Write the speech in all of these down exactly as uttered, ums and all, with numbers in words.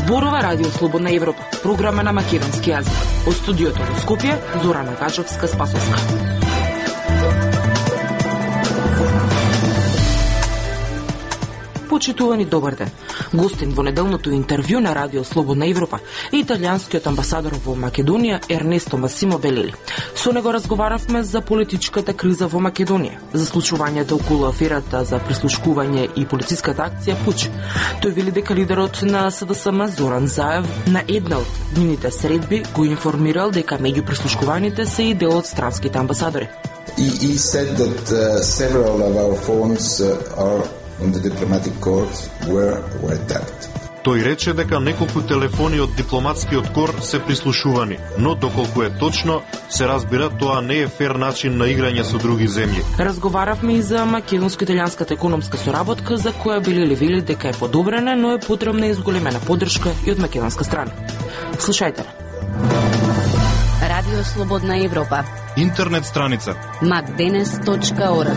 Зборува Радио Слободна Европа, програма на македонски јазик. Од студиото во Скопје, Зорана Качовска-Спасовска. Почитувани, добар ден. Гостин во неделното интервју на Радио Слободна Европа е италијанскиот амбасадор во Македонија Ернесто Масимо Белили. Со него разговаравме за политичката криза во Македонија, за случувањето околу аферата за прислушкување и полициската акција Пуч. Тој вели дека лидерот на СДСМ Зоран Заев на една од нивните средби го информирал дека меѓу прислушкуваните се и дел од странските амбасадори. He, he said that uh, several of our phones uh, are in the diplomatic court were were tapped. Тој рече дека неколку телефони од дипломатскиот кор се прислушувани, но доколку е точно, се разбира тоа не е фер начин на играње со други земји. Разговаравме и за македонско-италијанската економска соработка, за која Белили вели дека е подобрена, но е потребна и зголемена поддршка и од македонска страна. Слушајте. Радио Слободна Европа. Интернет страница макденес точка орг.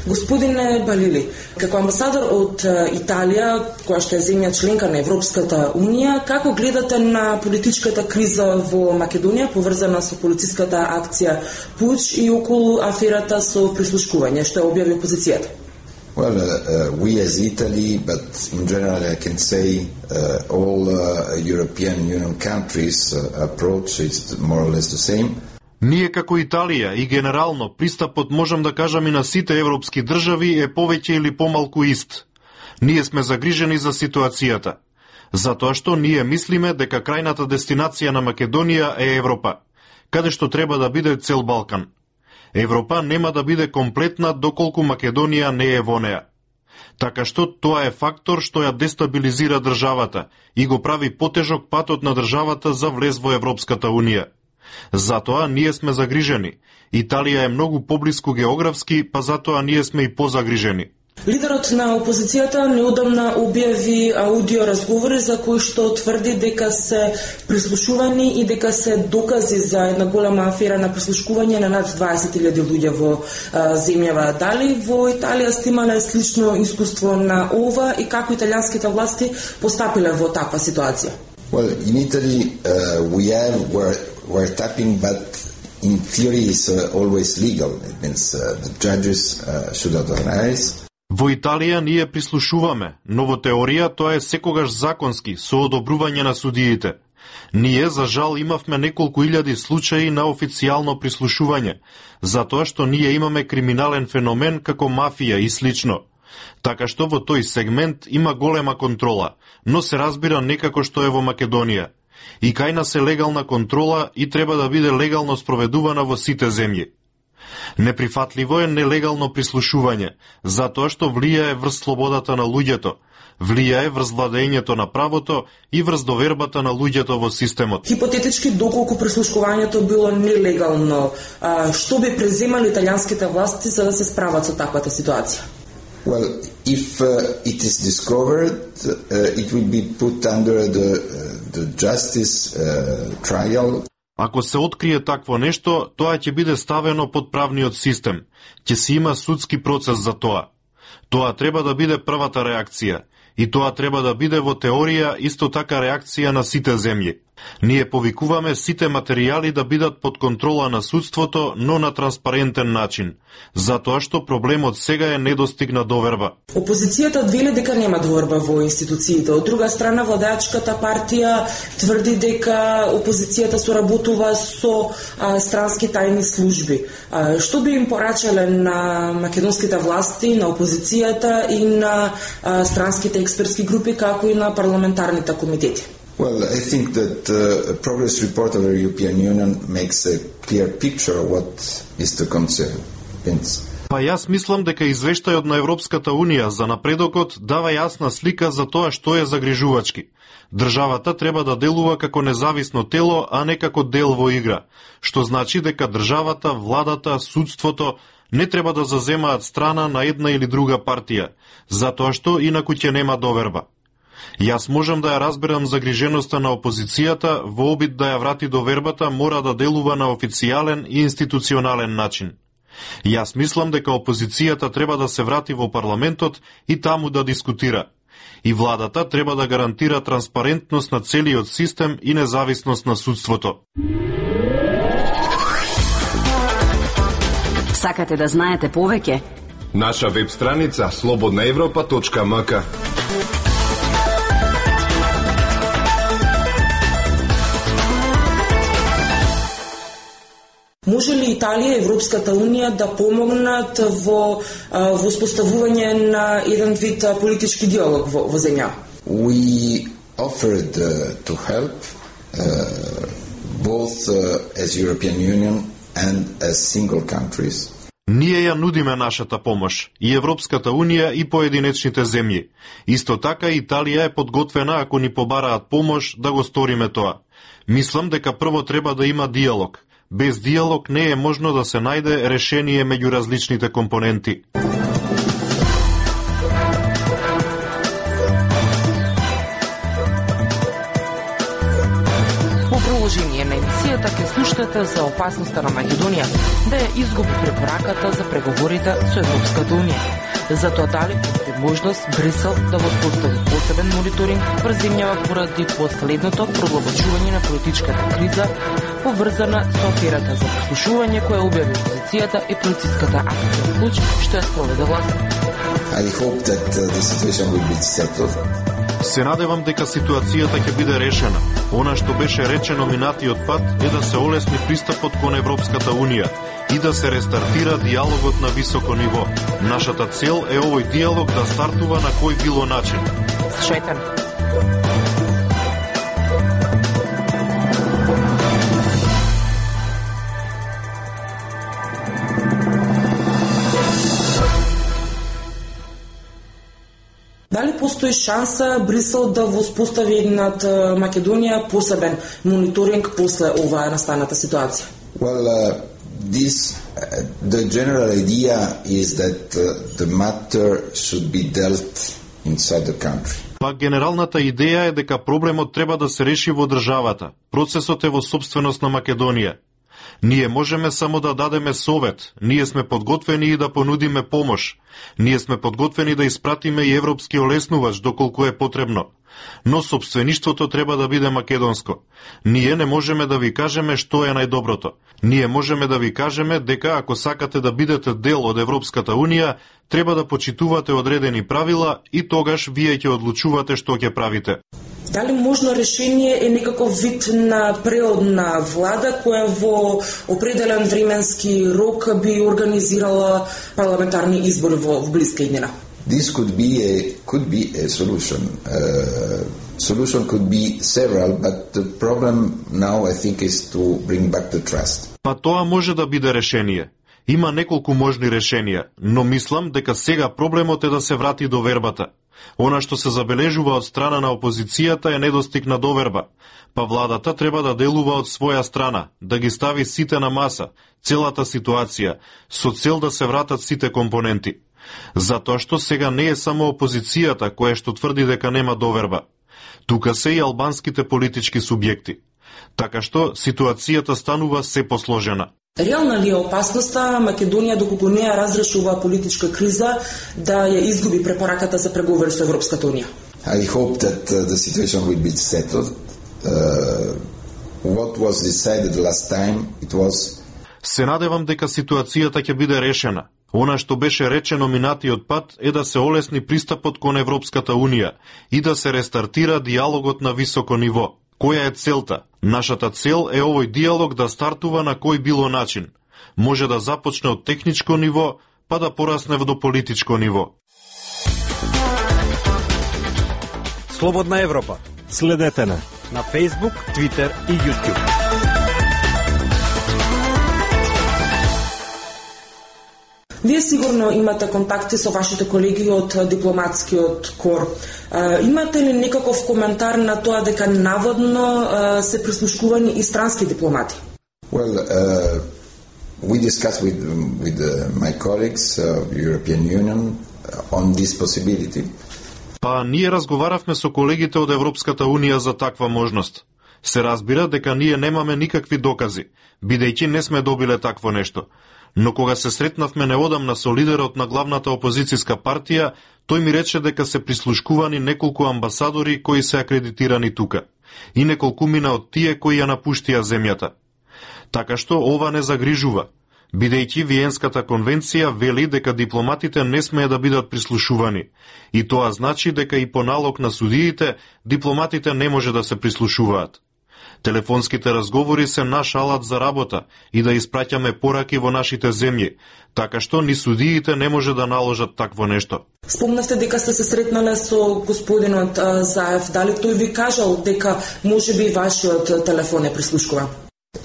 Господине Белили, како амбасадор од Италија, која што е земја членка на Европската Унија, како гледате на политичката криза во Македонија, поврзана со полициската акција Пуч и околу аферата со прислушкување, што ја објави опозицијата? Well, uh, we as Italy, but in general I can say uh, all uh, European Union countries uh, approach is more or less the same. Ние како Италија и генерално пристапот, можам да кажам, и на сите европски држави е повеќе или помалку ист. Ние сме загрижени за ситуацијата, затоа што ние мислиме дека крајната дестинација на Македонија е Европа, каде што треба да биде цел Балкан. Европа нема да биде комплетна доколку Македонија не е во неа. Така што тоа е фактор што ја дестабилизира државата и го прави потежок патот на државата за влез во Европската Унија. Затоа ние сме загрижени. Италија е многу поблиску географски, па затоа ние сме и позагрижени. Лидерот на опозицијата неодамна објави аудио разговори за кои што тврди дека се прислушувани и дека се докази за една голема афера на прислушкување на над дваесет илјади луѓе во а, земјава. Дали во Италија сте имале слично искуство на ова и како италијанските власти постапиле во таква ситуација? Well, in Italy uh, we have where we're tapping, but in theory it's uh, always legal. It means uh, the judges uh, should authorize. Во Италија ние прислушуваме, но во теорија тоа е секогаш законски, со одобрување на судиите. Ние, за жал, имавме неколку илјади случаи на официјално прислушување, затоа што ние имаме криминален феномен како мафија и слично. Така што во тој сегмент има голема контрола, но се разбира некако што е во Македонија. И кај нас е легална контрола и треба да биде легално спроведувана во сите земји. Неприфатливо е нелегално прислушување, затоа што влијае врз слободата на луѓето, влијае врз владењето на правото и врз довербата на луѓето во системот. Хипотетички, доколку прислушкувањето било нелегално, а, што би преземали италијанските власти за да се справат со таквата ситуација? Well, if uh, it is discovered, uh, it will be put under the, uh, the justice uh, trial. Ако се открие такво нешто, тоа ќе биде ставено под правниот систем. Ќе си има судски процес за тоа. Тоа треба да биде првата реакција. И тоа треба да биде во теорија исто така реакција на сите земји. Ние повикуваме сите материјали да бидат под контрола на судството, но на транспарентен начин, затоа што проблемот сега е недостигна доверба. Опозицијата вели дека нема доверба во институциите. Од друга страна, владеачката партија тврди дека опозицијата соработува со а, странски тајни служби. А, што би им порачале на македонските власти, на опозицијата и на а, странските експертски групи, како и на парламентарните комитети? Well, I think that uh, a progress report of the European Union makes a clear picture of what is the concern. Па јас мислам дека извештајот на Европската Унија за напредокот дава јасна слика за тоа што е загрижувачки. Државата треба да делува како независно тело, а не како дел во игра, што значи дека државата, владата, судството не треба да заземаат страна на една или друга партија, затоа што инаку ќе нема доверба. Јас можам да ја разберам загриженоста на опозицијата, во обид да ја врати довербата мора да делува на официјален и институционален начин. Јас мислам дека опозицијата треба да се врати во парламентот и таму да дискутира. И владата треба да гарантира транспарентност на целиот систем и независност на судството. Сакате да знаете повеќе? Наша веб страница слободна европа точка ем ка. Може ли Италија и Европската Унија да помогнат во воспоставување на еден вид политички диалог во, во земја? We offered uh, to help uh, both uh, as European Union and as single countries. Ние ја нудиме нашата помош, и Европската Унија и поединечните земји. Исто така Италија е подготвена ако ни побараат помош да го сториме тоа. Мислам дека прво треба да има диалог. Без диалог не е можно да се најде решение меѓу различните компоненти. Во продолжение на емисијата ќе слушате за опасноста на Македонија да ја изгуби препораката за преговорите со Европската Унија. Затоа дали постои можност Брисел да воспостави посебен мониторинг врз земјава поради последното продлабочување на политичката криза поврзана со аферата за прислушување која објави опозицијата и полициската акција Клуч што ја спроведе власт. I hope that uh, the situation will be settled. Се надевам дека ситуацијата ќе биде решена. Она што беше речено минатиот пат е да се олесни пристапот кон Европската Унија и да се рестартира диалогот на високо ниво. Нашата цел е овој диалог да стартува на кој било начин. Слушајте. Дали постои шанса Брисел да воспостави над Македонија посебен мониторинг после оваа настаната ситуација? Well, uh, this uh, the general idea is that uh, the matter should be dealt inside the country. Па генералната идеја е дека проблемот треба да се реши во државата. Процесот е во собственост на Македонија. Ние можеме само да дадеме совет, ние сме подготвени и да понудиме помош. Ние сме подготвени да испратиме и европски олеснувач доколку е потребно. Но собствеништвото треба да биде македонско. Ние не можеме да ви кажеме што е најдоброто. Ние можеме да ви кажеме дека ако сакате да бидете дел од Европската Унија, треба да почитувате одредени правила и тогаш вие ќе одлучувате што ќе правите. Дали можно решение е некаков вид на преодна влада која во определен временски рок би организирала парламентарни избори во, во блиска иднина? This could be a could be a solution. Uh, solution could be several, but the problem now I think is to bring back the trust. Па тоа може да биде решение. Има неколку можни решенија, но мислам дека сега проблемот е да се врати довербата. Она што се забележува од страна на опозицијата е недостиг на доверба, па владата треба да делува од своја страна, да ги стави сите на маса, целата ситуација, со цел да се вратат сите компоненти. Затоа што сега не е само опозицијата која што тврди дека нема доверба. Тука се и албанските политички субјекти. Така што ситуацијата станува се посложена. Реална ли е опасноста Македонија доколку не ја разрешува политичка криза да ја изгуби препораката за преговори со Европската Унија? I hope that uh, the situation will be settled. Uh, what was decided last time, it was... Се надевам дека ситуацијата ќе биде решена. Она што беше речено минатиот пат е да се олесни пристапот кон Европската Унија и да се рестартира диалогот на високо ниво. Која е целта? Нашата цел е овој диалог да стартува на кој било начин. Може да започне од техничко ниво, па да порасне до политичко ниво. Слободна Европа. Следете на на Facebook, Twitter и YouTube. Вие сигурно имате контакти со вашите колеги од дипломатскиот кор. Имате ли некаков коментар на тоа дека наводно се прислушкувани и странски дипломати? Well, uh, we discussed with with uh, my colleagues of uh, European Union on this possibility. Па ние разговаравме со колегите од Европската Унија за таква можност. Се разбира дека ние немаме никакви докази, бидејќи не сме добиле такво нешто. Но кога се сретнавме неодамна со лидерот на главната опозицијска партија, тој ми рече дека се прислушкувани неколку амбасадори кои се акредитирани тука и неколкумина од тие кои ја напуштија земјата. Така што ова не загрижува, бидејќи Виенската конвенција вели дека дипломатите не смее да бидат прислушувани, и тоа значи дека и по налог на судиите дипломатите не може да се прислушуваат. Телефонските разговори се наш алат за работа и да испраќаме пораки во нашите земји, така што ни судиите не може да наложат такво нешто. Спомнавте дека сте се сретнале со господинот Заев. Дали тој ви кажал дека можеби вашиот телефон е прислушкуван?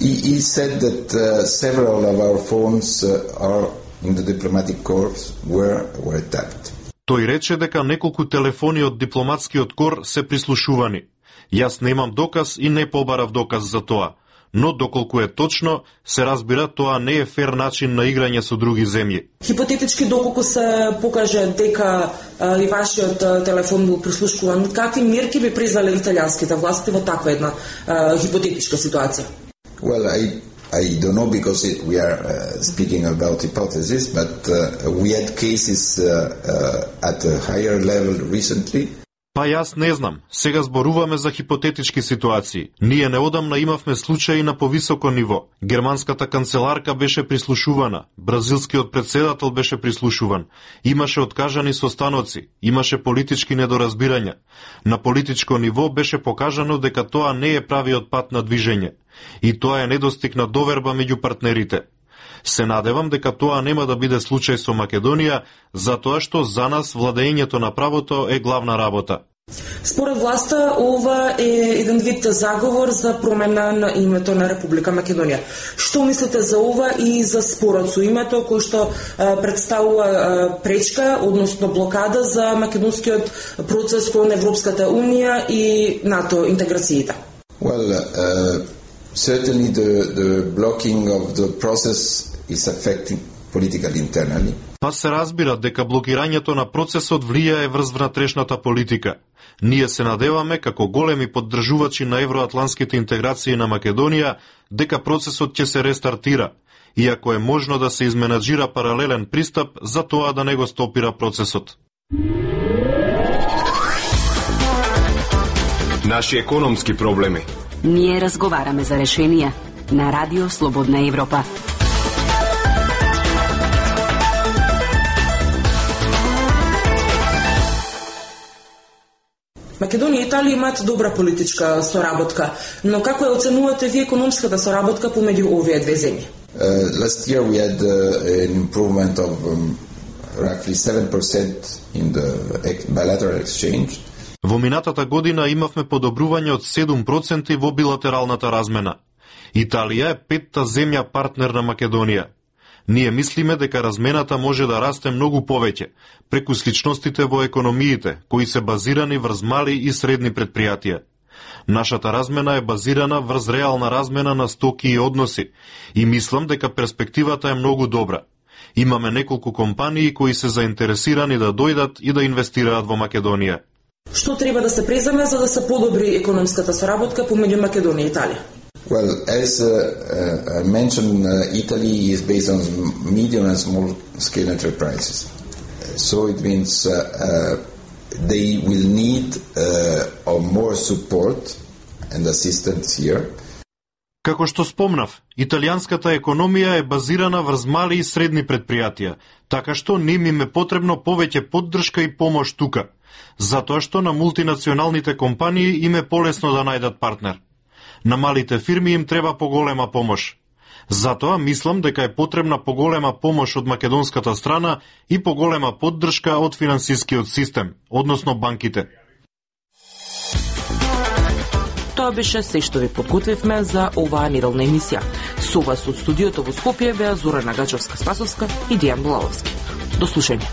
He, he said that uh, several of our phones uh, are in the diplomatic corps were were tapped. Тој рече дека неколку телефони од дипломатскиот кор се прислушувани. Јас немам доказ и не побарав доказ за тоа, но доколку е точно, се разбира тоа не е фер начин на играње со други земји. Хипотетички, доколку се покаже дека а, и вашиот а, телефон бил прислушкуван, какви мерки би презале италијанските власти во таква една а, хипотетичка ситуација? Well, I I don't know because it, we are uh, speaking about hypotheses, but uh, we had cases uh, uh, at a higher level recently. Па јас не знам, сега зборуваме за хипотетички ситуации. Ние неодамна имавме случаи на повисоко ниво. Германската канцеларка беше прислушувана, бразилскиот председател беше прислушуван, имаше откажани состаноци, имаше политички недоразбирања. На политичко ниво беше покажано дека тоа не е правиот пат на движење. И тоа е недостиг на доверба меѓу партнерите. Се надевам дека тоа нема да биде случај со Македонија, затоа што за нас владењето на правото е главна работа. Според власта, ова е еден вид заговор за промена на името на Република Македонија. Што мислите за ова и за спорот со името кој што а, представува а, пречка, односно блокада за македонскиот процес кон Европската Унија и НАТО интеграциите? Well, uh, certainly the, the blocking of the process is affecting political internally. Па се разбира дека блокирањето на процесот влијае врз внатрешната политика. Ние се надеваме како големи поддржувачи на евроатланските интеграции на Македонија дека процесот ќе се рестартира, иако е можно да се изменаџира паралелен пристап за тоа да не го стопира процесот. Наши економски проблеми. Ние разговараме за решенија на Радио Слободна Европа. Македонија и Италија имаат добра политичка соработка, но како ја оценувате ви економската соработка помеѓу овие две земји? Uh, last year we had uh, an improvement of um, roughly seven percent in the bilateral exchange. Во минатата година имавме подобрување од седум проценти во билатералната размена. Италија е петта земја партнер на Македонија. Ние мислиме дека размената може да расте многу повеќе, преку сличностите во економиите, кои се базирани врз мали и средни предпријатија. Нашата размена е базирана врз реална размена на стоки и односи, и мислам дека перспективата е многу добра. Имаме неколку компании кои се заинтересирани да дојдат и да инвестираат во Македонија. Што треба да се преземе за да се подобри економската соработка помеѓу Македонија и Италија? Well, as uh, uh, I mentioned, uh, Italy is based on medium and small scale enterprises. So it means uh, uh, they will need uh, more support and assistance here. Како што спомнав, италијанската економија е базирана врз мали и средни предпријатија, така што ним им е потребно повеќе поддршка и помош тука, затоа што на мултинационалните компании им е полесно да најдат партнер. На малите фирми им треба поголема помош. Затоа мислам дека е потребна поголема помош од македонската страна и поголема поддршка од финансискиот систем, односно банките. Тоа беше се што ви подготвивме за оваа неделна емисија. Со вас од студиото во Скопје беа Зорана Гачевска-Спасовска и Дијан Блаловски. До слушање.